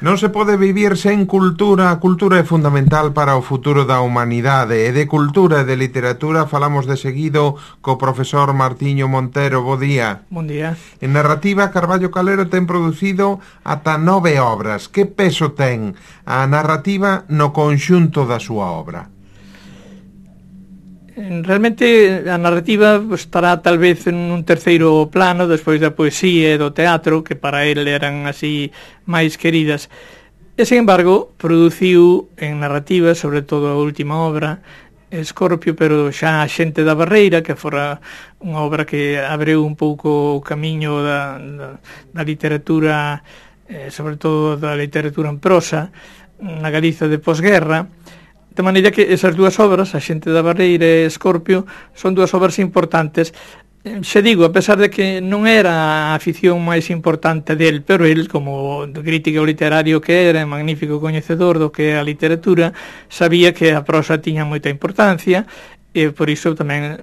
Non se pode vivir sen cultura. A cultura é fundamental para o futuro da humanidade. E de cultura e de literatura falamos de seguido co profesor Martiño Montero. Bo día. Bon día. En narrativa, Carballo Calero ten producido ata 9 obras. Que peso ten a narrativa no conxunto da súa obra? Realmente a narrativa estará tal vez en un terceiro plano despois da poesía e do teatro, que para ele eran así máis queridas. E, sin embargo, produciu en narrativa, sobre todo a última obra, Escorpio, pero xa a Xente da Barreira, que fora unha obra que abriu un pouco o camiño da literatura, sobre todo da literatura en prosa, na Galiza de posguerra. De maneira que esas dúas obras, A Xente da Barreira e Escorpio, son dúas obras importantes. Se digo, a pesar de que non era a afición máis importante del, pero el, como crítico literario que era, magnífico coñecedor do que é a literatura, sabía que a prosa tiña moita importancia e por iso tamén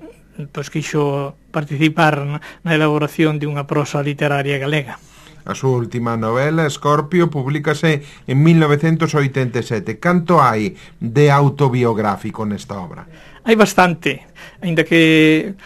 quixo participar na elaboración de unha prosa literaria galega. A súa última novela, Escorpio, publícase en 1987. Canto hai de autobiográfico nesta obra? Hai bastante, aínda que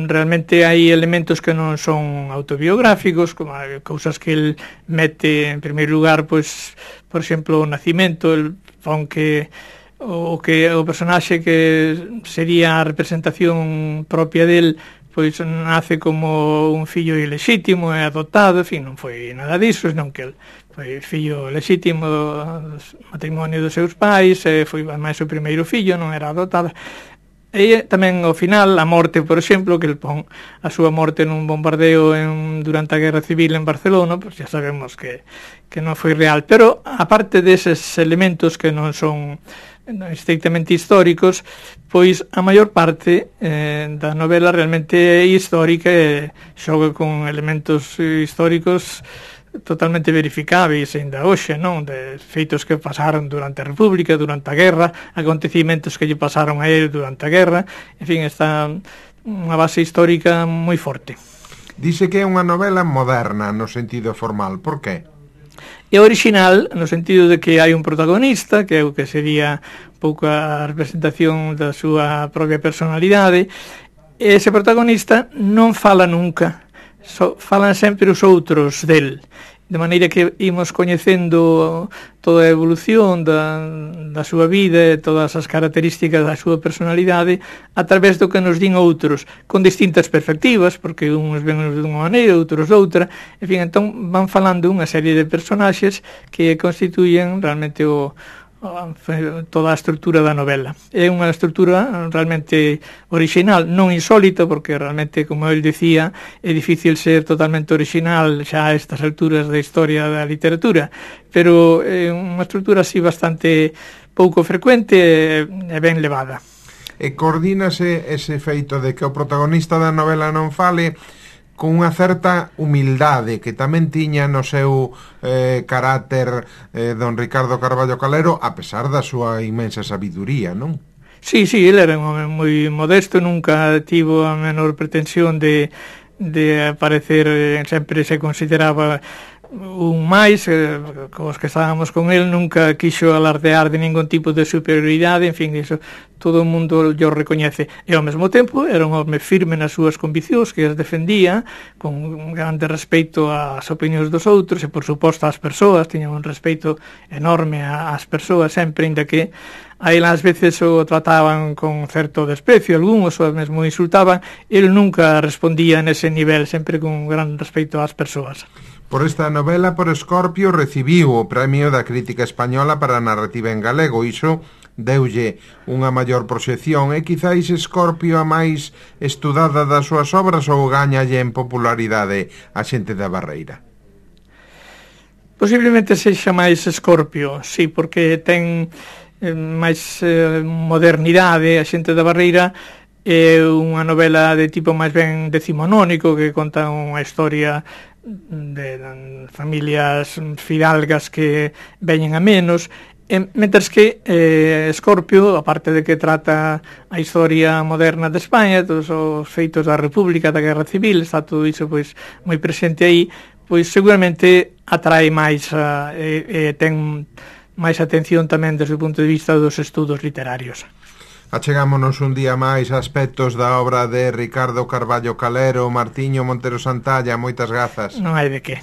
realmente hai elementos que non son autobiográficos, como cousas que el mete en primeiro lugar, pois, por exemplo, o nacimento, el pon que o personaxe que sería a representación propia del, pois nace como un fillo ilexítimo e adoptado, en fin, non foi nada disso, senón que el foi fillo lexítimo do matrimonio dos seus pais, e foi máis o primeiro fillo, non era adoptado. E tamén ao final a morte, por exemplo, que el pon a súa morte nun bombardeo durante a Guerra Civil en Barcelona, pois xa sabemos que non foi real, pero aparte deses elementos que non son estrictamente históricos, pois a maior parte da novela realmente é histórica e xoga con elementos históricos totalmente verificáveis ainda hoxe, non? De feitos que pasaron durante a República, durante a Guerra, acontecimentos que lle pasaron a ele durante a Guerra, en fin, está unha base histórica moi forte. Dice que é unha novela moderna no sentido formal, por que? É original no sentido de que hai un protagonista, que é o que sería un pouco a representación da súa propia personalidade, e ese protagonista non fala nunca, falan sempre os outros del, de maneira que imos coñecendo toda a evolución da súa vida e todas as características da súa personalidade a través do que nos din outros, con distintas perspectivas, porque uns ven dunha maneira, outros doutra, en fin, entón van falando unha serie de personaxes que constituyen realmente toda a estrutura da novela. É unha estrutura realmente original, non insólita, porque realmente, como el dicía, é difícil ser totalmente original xa a estas alturas da historia da literatura, pero é unha estrutura así bastante pouco frecuente e ben levada. E coordínase ese feito de que o protagonista da novela non fale con unha certa humildade que tamén tiña no seu carácter don Ricardo Carballo Calero, a pesar da súa inmensa sabiduría, non? Sí, ele era un home moi modesto, nunca tivo a menor pretensión de aparecer, sempre se consideraba un máis, cos que estábamos con el, nunca quixo alardear de ningún tipo de superioridade, en fin, iso todo o mundo yo recoñece, e ao mesmo tempo era un home firme nas súas conviccións, que as defendía con un grande respeito ás opinións dos outros e por suposto ás persoas, tiña un respeito enorme ás persoas sempre, inda que a él ás veces o trataban con certo desprecio, algúns o mesmo insultaban, el nunca respondía nese nivel, sempre con un gran respeito ás persoas. Por esta novela, por Escorpio, recibiu o premio da crítica española para a narrativa en galego. Iso deulle unha maior proxección. E quizáis Escorpio a máis estudada das súas obras ou gañalle en popularidade A Xente da Barreira? Posiblemente sexa máis Escorpio, sí, porque ten máis modernidade. A Xente da Barreira é unha novela de tipo máis ben decimonónico, que conta unha historia de familias fidalgas que veñen a menos, mentres que Escorpio, aparte de que trata a historia moderna de España, todos os feitos da República, da Guerra Civil, está todo iso pois moi presente aí, pois seguramente atrae máis ten máis atención tamén desde o punto de vista dos estudos literarios. Achegámonos un día máis a aspectos da obra de Ricardo Carballo Calero, Martiño Montero Santalla, moitas grazas. Non hai de que.